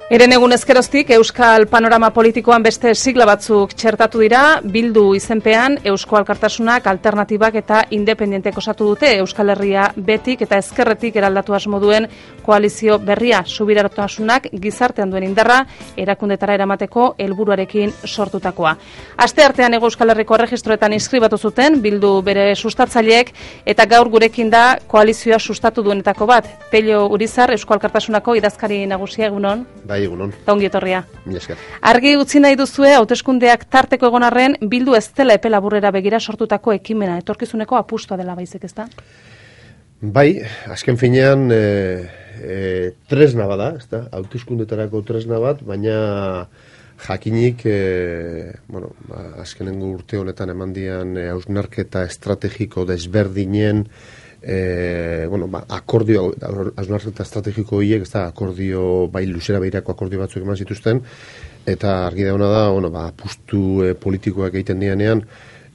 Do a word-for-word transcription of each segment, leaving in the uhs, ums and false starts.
Eren egun ezkeroztik Euskal Panorama Politikoan beste sigla batzuk txertatu dira, Bildu izenpean Eusko Alkartasunak, Alternatibak eta Independentek osatu dute Euskal Herria betik eta ezkerretik eraldatu asmo duen koalizio berria, subiranotasuna gizartean duen indarra erakundetara eramateko helburuarekin sortutakoa. Aste artean Hego Euskal Herriko erregistroetan inskribatu zuten Bildu bere sustatzaileek eta gaur gurekin da koalizioa sustatu duenetako bat. Pello Urizar, Eusko Alkartasunako idazkari nagusia, egunon. Bai, egunon. Ta ongi etorria. Mila esker. Argi utzi nahi duzue hauteskundeak tarteko egon arren Bildu ez dela epe laburrera begira sortutako ekimena, etorkizuneko apustua dela baizik, ezta? Bai, azken finean e, e, tresna bada, ezta? Hauteskundetarako tresna bat, baina jakinik e, bueno, azkenengo urte honetan emandian e, hausnarketa estrategiko desberdinen E, bueno, ba, akordio, hausnarketa estrategiko horiek, ez da, akordio, bai luzera behirako akordio batzuk eman zituzten, eta argi dauna da, bueno, ba, apustu e, politikoak egiten dianean,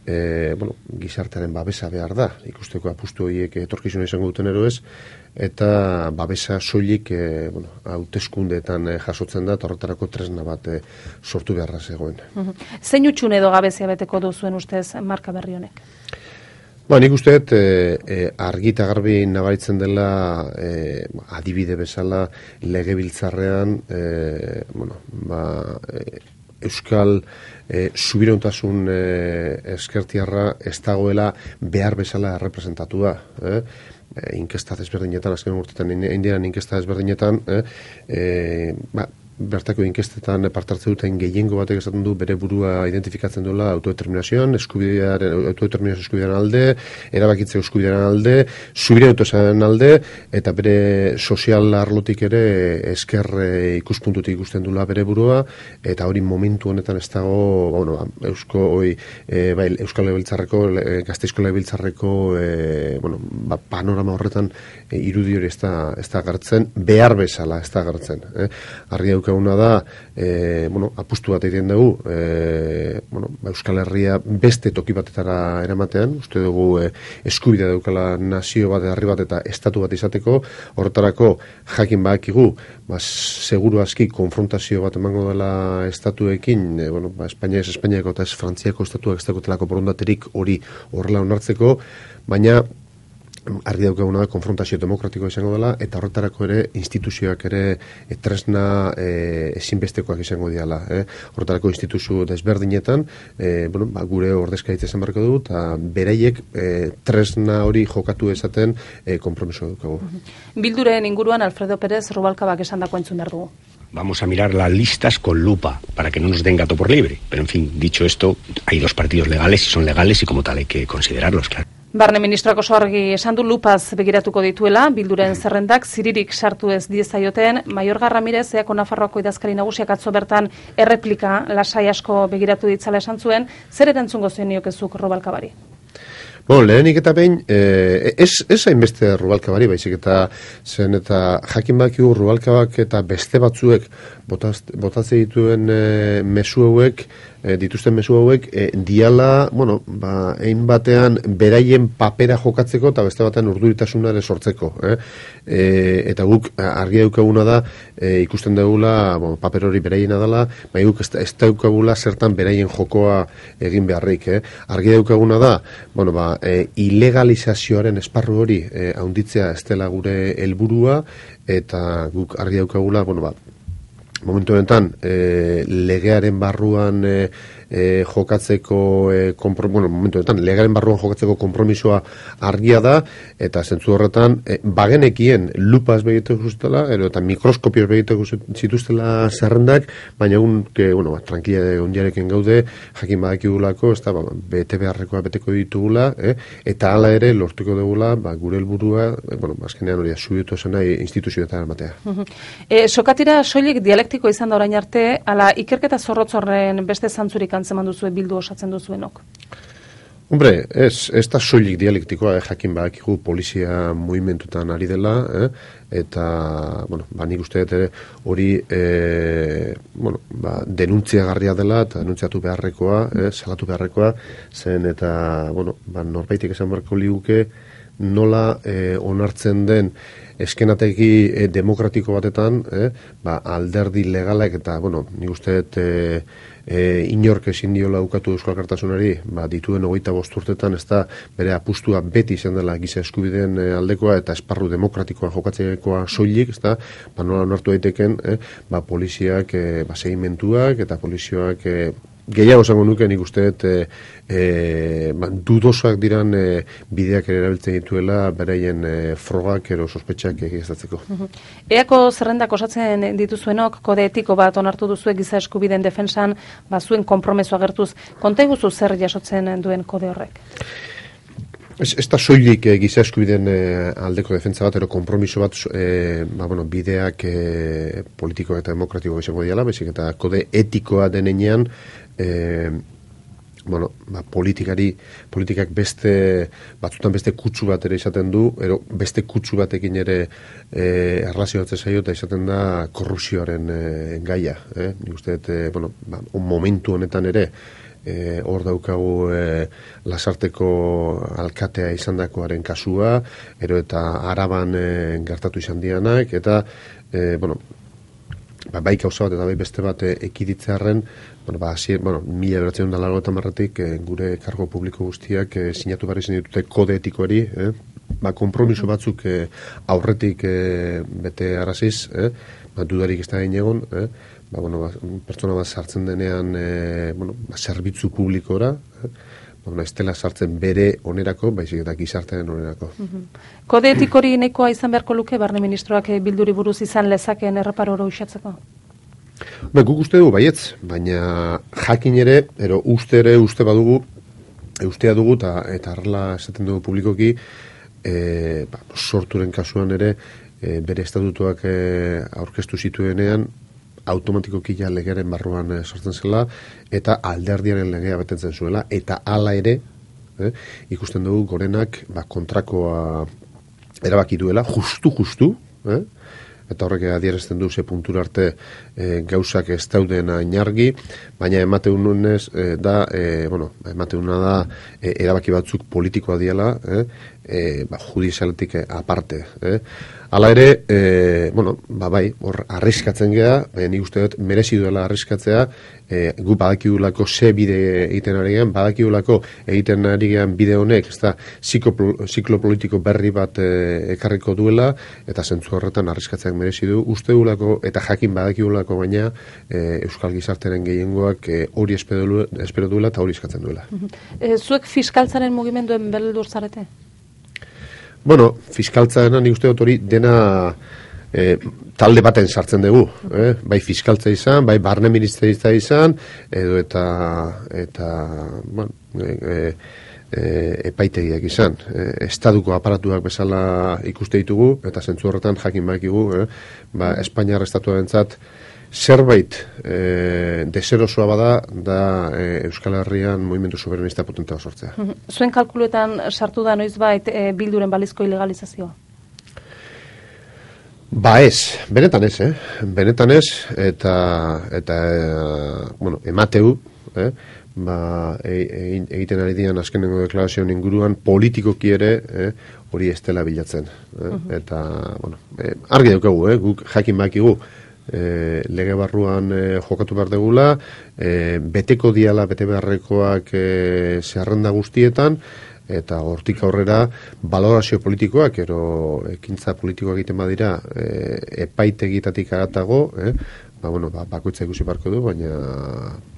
e, bueno, gizartearen babesa behar da, ikusteko apustu horiek etorkizuna izango duten ero ez, eta babesa soilik e, bueno, hauteskundeetan e, jasotzen da, eta horretarako tresna bat e, sortu beharra zegoen. Uh-huh. Zein utxun edo gabezia beteko duzuen ustez marka berri honek? Ba, nik uste dut e, e, argi eta garbi nabaritzen dela e, adibide bezala legebiltzarrean e, bueno, ba, e, Euskal e, subirauntasun e, eskertiarra ez dagoela behar bezala representatua. Eh? E, inkesta desberdinetan, azken urtetan indian inkesta desberdinetan, eh? e, ba, bertako inkestetan partartze duten gehiengo batek esaten du bere burua identifikatzen duela autodeterminazioan, eskubidearen, autodeterminazio eskubidearen alde, erabakitze eskubidearen alde, subirautosaren alde, eta bere sozial arlotik ere esker ikuspuntutik ikusten duela bere burua, eta hori momentu honetan ez dago, ba, bueno, Eusko, oi, e, bai, Euskal Legebiltzarreko, e, Gasteizko Legebiltzarreko, e, bueno, ba, panorama horretan e, irudi hori ez da, ez da gartzen, behar bezala ez da gartzen. Eh? Argi daukaguna da, e, bueno, apustu bat egiten dugu, e, bueno, Euskal Herria beste toki batetara eramatean, uste dugu e, eskubidea daukala nazio bat, herri bat eta estatu bat izateko, horretarako jakin badakigu, ba, seguru aski konfrontazio bat emango dela estatuekin, e, bueno, ba, Espainia ez Espainiako eta ez Frantziako estatuak ez dagotelako borondaterik hori horrela onartzeko, baina argi daukaguna da konfrontazio demokratikoa izango dela eta horretarako ere instituzioak ere e, tresna e, ezinbestekoak izango diala. Eh? Horretarako instituzio desberdinetan e, bueno, ba, gure ordezkaritza izan barko dugu eta beraiek e, tresna hori jokatu esaten e, konpromiso dukagu. Bilduren inguruan Alfredo Pérez Rubalcabak esandako entzun behar dugu. Vamos a mirar las listas con lupa para que no nos den gato por libre. Pero en fin, dicho esto, hay dos partidos legales y son legales y como tal hay que considerarlos, claro. Barne ministroak oso argi esan du lupaz begiratuko dituela, Bilduren zerrendak ziririk sartu ez diezaioten, Mayorga Ramirez, Eako Nafarroako idazkari nagusiak atzo bertan erreplika lasai asko begiratu ditzala esan zuen, zer erantzungo zen niokezuk Rubalcabari? Bueno, lehenik eta behin, eh, ez, ez hainbeste Rubalcabari, baizik eta zen eta jakin bakigu Rubalcabak eta beste batzuek botatze dituen eh, mezu hauek, eh, dituzten mezu hauek, eh, diala, bueno, ba, ein batean beraien papera jokatzeko eta beste batean urduritasuna ere sortzeko. Eh? E, eta guk argi daukaguna da, e, ikusten dugula, bueno, paper hori beraiena dela, baina guk ez, ez daukagula zertan beraien jokoa egin beharrik. Eh? Argi daukaguna da, bueno, ba, e, ilegalizazioaren esparru hori e, haunditzea ez dela gure helburua eta guk argi daukagula, bueno, ba, momentu honetan e, legearen barruan e, e, jokatzeko e, kompro, bueno, momentu honetan legearen barruan jokatzeko konpromisoa argia da eta zentzu horretan e, bagenekien lupaz begiteko zutela eta mikroskopios begiteko zituztela zerrendak, baina egun que, bueno, ba, tranquila ondiarekin gaude jakin badakigulako, ez da, ba, bete beharrekoa beteko ditugula, eh? Eta hala ere lortuko dugula, ba, gure helburua, e, bueno, azkenean hori subietu zen nahi instituzioetan ematea. e, Sokatira soilik dialektiko izan da orain arte, ala ikerketa zorrotzorren beste zantzurik antzeman duzue Bildu osatzen duzuenok? Hombre, ez, ez da soilik dialektikoa, eh, jakin badakigu polizia mugimendutan ari dela, eh, eta, bueno, ba, nik uste dut ere hori, eh, bueno, ba, denuntziagarria dela eta denuntziatu beharrekoa, eh, salatu beharrekoa, zen eta, bueno, ba, norbaitik esan beharko liguke nola eh, onartzen den eskenategi e, demokratiko batetan, eh, ba, alderdi legalak eta, bueno, nik uste dut e, e, inork ezin diola ukatu Euskal Alkartasunari, ba, dituen hogeita bost urtetan, ez da bere apustua beti izan dela giza eskubideen e, aldekoa eta esparru demokratikoa jokatzekoa soilik, ez da, ba, nola onartu daiteken, eh, ba, poliziak e, ba, segimentuak eta polizioak e, gehiago esango nuke nik uste dut e, e, ba, dudosak diran e, bideak ere erabiltzen dituela beraien e, frogak ero sospetxak egiaztatzeko. Eako zerrendak osatzen dituzuenok, kode etiko bat onartu duzuek giza eskubideen defensan, ba, zuen konpromeso agertuz. Konta iguzu zer jasotzen duen kode horrek? Ez, ez da soilik e, giza eskubideen e, aldeko defentsa bat, ero kompromiso bat e, ba, bueno, bideak e, politiko eta demokratiko izango diala, bezik eta kode etikoa denean e, bueno, ba, politikari, politikak beste, batzutan beste kutsu bat ere izaten du, ero beste kutsu batekin ere e, erlazioatzen zaio eta izaten da korrupzioaren e, gaia. Eh? Nik uste, e, bueno, ba, momentu honetan ere, E, hor daukagu e, Lasarteko alkatea izandakoaren kasua, ero eta Araban e, gertatu izan dianak, eta e, bueno, ba, bai gauza bat eta bai beste bat e, ekiditzearen, bueno, ba, asier, bueno, mila beratzen da largo eta marratik e, gure kargo publiko guztiak e, sinatu barri zen ditute kode etikoari, eh? Ba, kompromiso batzuk e, aurretik e, bete araziz, eh? Ba, dudarik ez da egin egon, eh? Ba, bueno, ba, pertsona bat sartzen denean e, bueno, ba, zerbitzu publikora, eh? Ba, bueno, ez dela sartzen bere onerako, baizik eta gizartearen onerako. Mm-hmm. Kode etikori nahikoa izan beharko luke, barne ministroak bilduri buruz izan lezakeen erreparo hori usatzeko? Ba, guk uste dugu baietz, baina jakin ere, ero uste ere, uste badugu, e, ustea dugu, eta eta arrela esaten dugu publikoki, e, ba, sorturen kasuan ere, e, bere estatutuak e, aurkeztu zituenean, automatikoki ja legearen barruan e, sortzen zela, eta alderdiaren legea betetzen zuela, eta hala ere, eh, ikusten dugu gorenak ba, kontrakoa erabaki duela, justu-justu, eh, eta horrek adierazten du ze puntura arte e, gauzak ez dauden ainargi, baina emateunez e, da, e, bueno, emateuna da e, erabaki batzuk politikoa diela, eh, e, ba, judizialetik aparte, eh. Hala ere, e, bueno, ba bai, hor arriskatzen gea, baina nik uste dut merezi duela arriskatzea, e, gu badakigulako ze bide egiten ari gean, badakigulako egiten ari gean bide honek, ez da, ziklo politiko berri bat e, ekarriko duela, eta zentzu horretan arriskatzeak merezi du, uste dugulako, eta jakin badakigulako baina, e, Euskal Gizarteren gehiengoak e, hori espero, espero duela eta hori eskatzen duela. E, zuek fiskaltzaren mugimenduen beldur zarete? Bueno, fiskaltzaren nik uste dut hori dena e, talde baten sartzen dugu, eh? Bai fiskaltza izan, bai barne ministeritza izan, edo eta, eta bueno, e, e, epaitegiak izan. E, estaduko aparatuak bezala ikuste ditugu, eta zentzu horretan jakin bakigu, eh? Ba, Espainiar estatuarentzat zerbait e, deserosoa bada da e, Euskal Herrian movimendu soberanista potentea sortzea. Zuen kalkuluetan sartu da noizbait e, bilduren balizko ilegalizazioa? Ba ez, benetan ez, eh? Benetan ez, eta, eta e, bueno, emateu, eh? Ba, e, e, egiten ari dian azkenengo deklarazioen inguruan politikoki ere eh, hori ez dela bilatzen. Eh? Uh-huh. Eta, bueno, e, argi daukagu, eh? Guk jakin bakigu, E, lege barruan e, jokatu behar degula, e, beteko diala bete beharrekoak e, zerrenda guztietan, eta hortik aurrera balorazio politikoak, ero ekintza politikoak egiten badira e, epaitegitatik aratago, eh? Ba, bueno, ba, bakoitza ikusi barko du, baina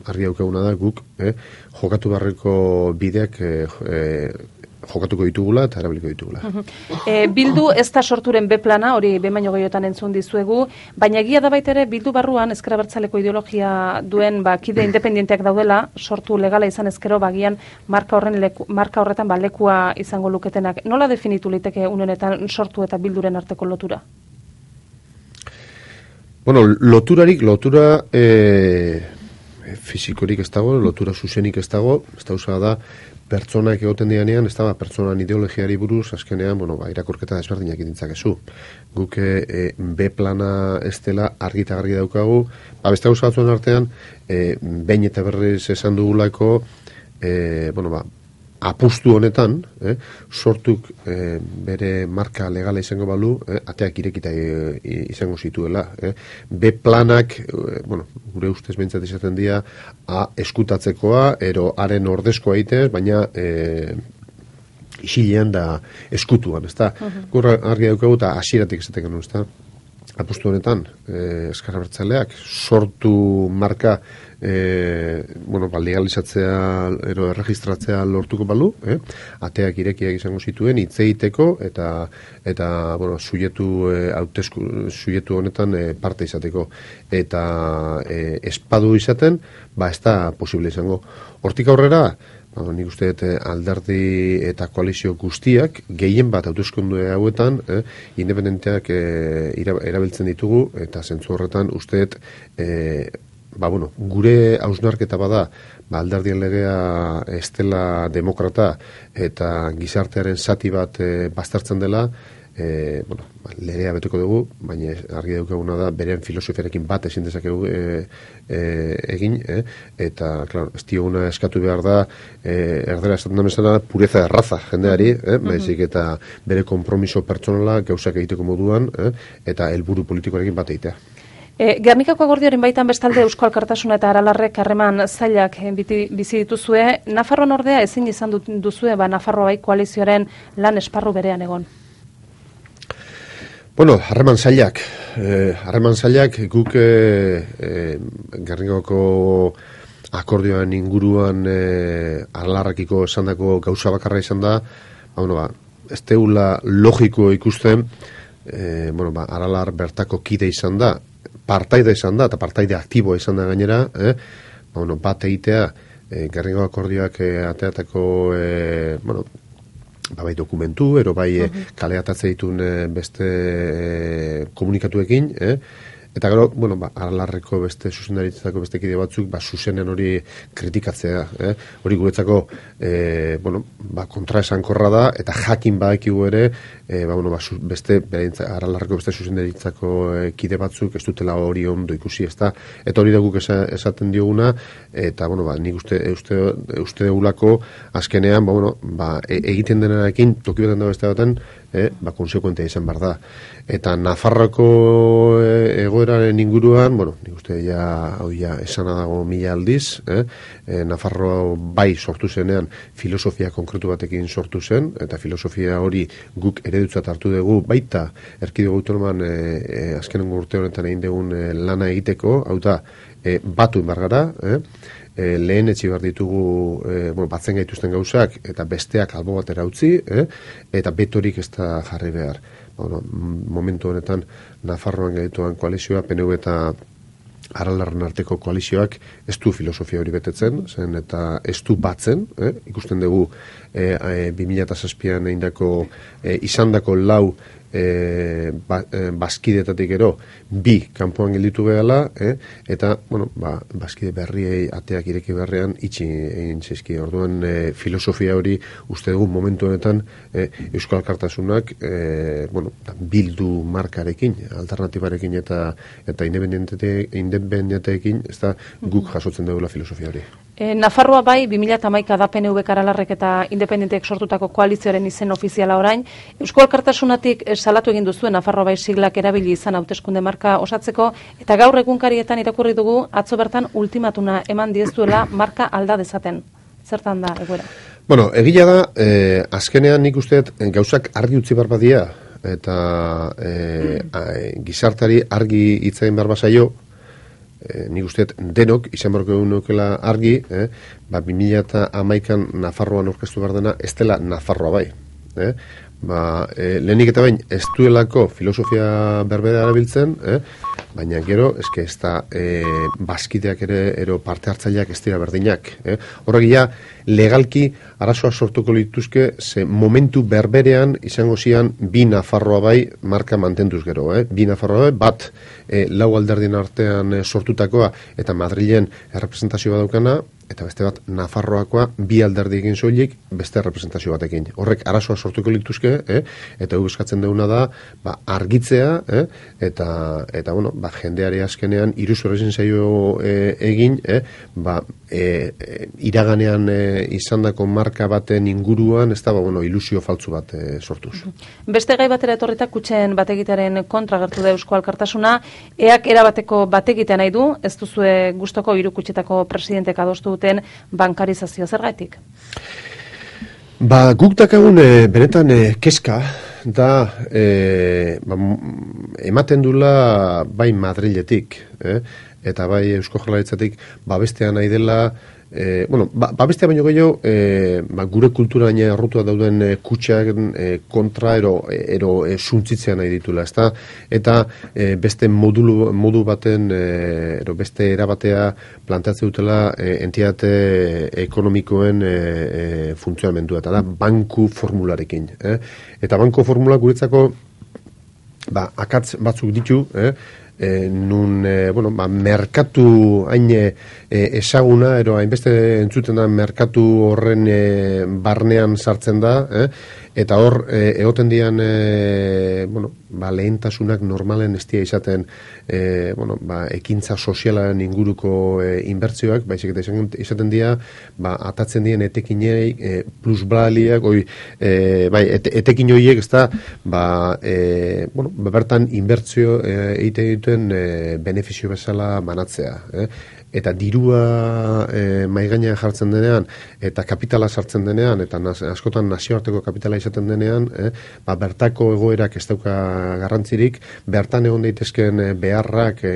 argi daukaguna da guk eh, jokatu beharreko bideak eh, jokatuko ditugula eta erabiliko ditugula. E, Bildu ez da sorturen B-plana, hori behin baino gehiotan entzun dizuegu, baina egia da baita ere Bildu barruan ezker abertzaleko ideologia duen ba, kide independienteak daudela, sortu legala izan ezkero bagian marka, horren leku, marka horretan ba, lekua izango luketenak. Nola definitu liteke unenetan sortu eta Bilduren arteko lotura? Bueno, loturarik, lotura e, fizikorik ez dago, lotura zuzenik ez dago, ez da da pertsonak egoten dianean, ez da, pertsonan ideologiari buruz, azkenean, bueno, ba, irakurketa desberdinak idintzakezu. Guk e, B-plana ez dela argita gargi daukagu, ba, beste gauza batzuen artean, e, behin eta berriz esan dugulako, e, bueno, ba, apustu honetan, eh, sortuk eh, bere marka legala izango balu, eh, ateak irekita eh, izango zituela. Eh. B planak, eh, bueno, gure ustez behintzat izaten dira, A eskutatzekoa, ero haren ordezkoa itez, baina eh, isilean da eskutuan, ez da? Uh-huh. Gura argi daukagu eta hasieratik esaten genuen, ez da? Apustu honetan, eh, Ezker Abertzaleak sortu marka eh, bueno, ba, legalizatzea ero erregistratzea lortuko balu, eh? Ateak irekiak izango zituen hitz egiteko eta eta bueno, suietu eh, hautesku suietu honetan eh, parte izateko eta eh, espadu izaten, ba ez da posible izango. Hortik aurrera, ba, nik uste dut alderdi eta koalizio guztiak gehien bat hauteskunde hauetan eh, independenteak eh, erabiltzen ditugu eta zentzu horretan uste dut eh, ba, bueno, gure hausnarketa bada ba, alderdien legea estela demokrata eta gizartearen zati bat eh, baztertzen dela. E, bueno, legea beteko dugu, baina argi daukaguna da beren filosofiarekin bat ezin dezakegu e, e, egin, e, eta claro, ez dioguna eskatu behar da e, erdera esaten da bezala pureza de raza jendeari, eh, baizik eta bere konpromiso pertsonala gauzak egiteko moduan, eh, eta helburu politikoarekin bat egitea. E, Gernikako akordioaren baitan bestalde Eusko Alkartasuna eta Aralarrek harreman zailak biti, bizi dituzue, Nafarroan ordea ezin izan duzue, ba Nafarroa bai koalizioaren lan esparru berean egon. Bueno, harreman zailak, harreman eh, zailak guk eh, eh, Gernikako akordioan inguruan eh, Aralarrekiko esandako gauza bakarra izan da, ba, bueno, ba, ez teula logiko ikusten, eh, bueno, ba, Aralar bertako kide izan da, partaide izan da, eta partaide aktiboa izan da gainera, eh, ba, bueno, bat egitea, eh, Gernikako akordioak eh, ateatako, eh, bueno, ba, bai dokumentu, ero bai uh-huh. kaleatatze ditun beste e, komunikatuekin, eh? Eta gero, bueno, ba, Aralarreko beste zuzendaritzako beste kide batzuk, ba, zuzenen hori kritikatzea, eh? Hori guretzako, e, bueno, ba, kontraesankorra da, eta jakin badakigu ere, e, ba, bueno, ba, beste, Aralarreko beste zuzendaritzako e, kide batzuk, ez dutela hori ondo ikusi, ez da, eta hori daguk esaten dioguna, eta, bueno, ba, nik uste, uste, uste degulako, azkenean, ba, bueno, ba, e, egiten denarekin, toki baten da beste baten, eh, ba, konsekuentea izan behar da. Eta Nafarroko e, egoeraren inguruan, bueno, nik uste ja, hau ja, esana dago mila aldiz, eh, e, Nafarro bai sortu zenean filosofia konkretu batekin sortu zen, eta filosofia hori guk eredutzat hartu dugu baita erkidego autonoman e, e, azkenengo urte honetan egin dugun e, lana egiteko, hau da, e, batu inbargara, eh, E, lehen etxi behar ditugu e, bueno, batzen gaituzten gauzak eta besteak albo batera utzi, eh? Eta betorik ez da jarri behar. Bueno, momentu honetan Nafarroan gaituan koalizioa, P N V eta Aralarren arteko koalizioak ez du filosofia hori betetzen, zen eta ez du batzen, eh? Ikusten dugu e, e, bi mila zazpian eindako e, izandako lau E, ba, e, bazkidetatik ero bi kanpoan gelditu behala, eh? Eta, bueno, ba, bazkide berriei ateak ireki berrean itxi egin zaizki. Orduan e, filosofia hori uste dugu momentu honetan e, Euskal Alkartasunak e, bueno, bildu markarekin, alternatibarekin eta eta independenteekin, ez da guk jasotzen dugula filosofia hori. E, Nafarroa bai, bi mila hamaika da P N V Aralarrek eta independenteek sortutako koalizioaren izen ofiziala orain. Eusko Alkartasunatik salatu egin duzuen Nafarroa bai siglak erabili izan hauteskunde marka osatzeko, eta gaur egunkarietan irakurri dugu atzo bertan ultimatuna eman diezuela marka alda dezaten. Zertan da egoera? Bueno, egia da, eh, azkenean nik usteet gauzak argi utzi behar badia, eta eh, mm. gizartari argi hitzain behar bazaio, E, nik usteet denok, izan barko egun nukela argi, eh, ba, bi mila hamaikan Nafarroan orkestu behar dena, ez dela Nafarroa bai. Eh? Ba, e, lehenik eta bain, ez duelako filosofia berbera erabiltzen, eh? Baina gero, eske ez da e, bazkideak ere, ero parte hartzaileak ez dira berdinak. Eh? Horrek ja, legalki arazoa sortuko lituzke, ze momentu berberean izango zian bi Nafarroa bai marka mantenduz gero. Eh? Bi Nafarroa bai, bat e, lau alderdien artean e, sortutakoa eta Madrilen errepresentazioa daukana, eta beste bat Nafarroakoa bi alderdi egin soilik beste representazio batekin. Horrek arazoa sortuko lituzke, eh? Eta gu eskatzen duguna da ba, argitzea, eh? eta, eta bueno, ba, jendeari azkenean iruzur ezin zaio eh, egin, eh? ba, eh, eh, iraganean eh, izandako marka baten inguruan, ez da ba, bueno, ilusio faltzu bat eh, sortuz. Beste gai batera etorritak kutxen bategitearen kontra gertu da Eusko Alkartasuna, eak erabateko bategitea nahi du, ez duzue gustoko hiru kutxetako presidentek adostu duten bankarizazio zergatik? Ba, guk dakagun e, benetan e, keska da e, ba, ematen dula bai Madriletik, eh? Eta bai Eusko Jaurlaritzatik babestea nahi dela. E, bueno, ba, babestea baino gehiago e, ba, gure kulturaina errutua dauden e, kutxak e, kontra ero, ero e, suntzitzea nahi ditula, ezta? Eta e, beste modulu, modu baten e, ero beste erabatea planteatzen dutela e, entitate ekonomikoen e, e, funtzionamendua, eta da banku formularekin. Eh? Eta banku formula guretzako ba, akatz batzuk ditu, eh? E, nun, e, bueno, ba, merkatu hain e, esaguna, ero hainbeste entzuten da merkatu horren e, barnean sartzen da, eh? Eta hor, e, egoten dian, e, bueno, ba, lehentasunak normalen ez dira izaten, e, bueno, ba, ekintza sozialaren inguruko e, inbertzioak, baizik eta izaten dira, ba, atatzen dien etekinei, e, plusbaliak, oi, e, bai, ete, etekin horiek, ez da, ba, e, bueno, bertan inbertzio e, egiten duten e, benefizio bezala banatzea, eh? Eta dirua e, maigainean jartzen denean, eta kapitala sartzen denean, eta naz, askotan nazioarteko kapitala izaten denean, eh, ba, bertako egoerak ez dauka garrantzirik, bertan egon daitezken beharrak, e,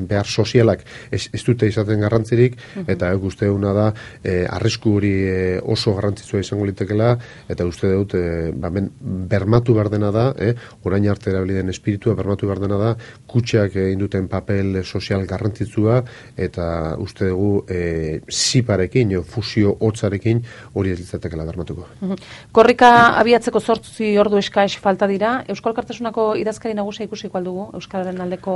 behar sozialak ez, ez dute izaten garrantzirik, eta e, uste duguna da, e, arrisku hori e, oso garrantzitsua izango litekela, eta uste dut, e, ba, ben, bermatu behar dena da, eh, orain arte erabili den espiritua, bermatu behar dena da, kutxak egin duten papel sozial garrantzitsua, eta uste dugu e, ziparekin, o, fusio hotzarekin hori ez litzatekela bermatuko. Korrika abiatzeko zortzi ordu eskaix falta dira. Euskal Alkartasunako idazkari nagusia ikusiko aldugu Euskararen aldeko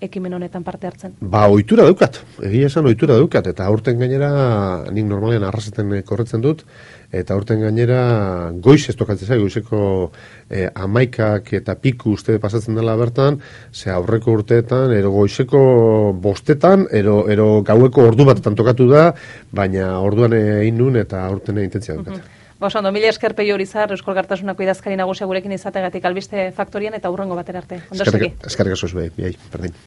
ekimen honetan parte hartzen? Ba, ohitura daukat. Egia esan ohitura daukat. Eta aurten gainera, nik normalean arrasaten korretzen dut, eta aurten gainera goiz ez tokatzen zai, goizeko e, amaikak eta piku uste pasatzen dela bertan, ze aurreko urteetan, ero goizeko bostetan, ero, ero gaueko ordu batetan tokatu da, baina orduan egin nun eta aurten intentzia daukat. Uh-huh. Oso, ondo, mila esker Peio Urizar, Euskal Alkartasunako idazkari nagusia gurekin izategatik albiste faktorian eta hurrengo batera arte. Ondo segi. Eskerrik asko zuei, berdin.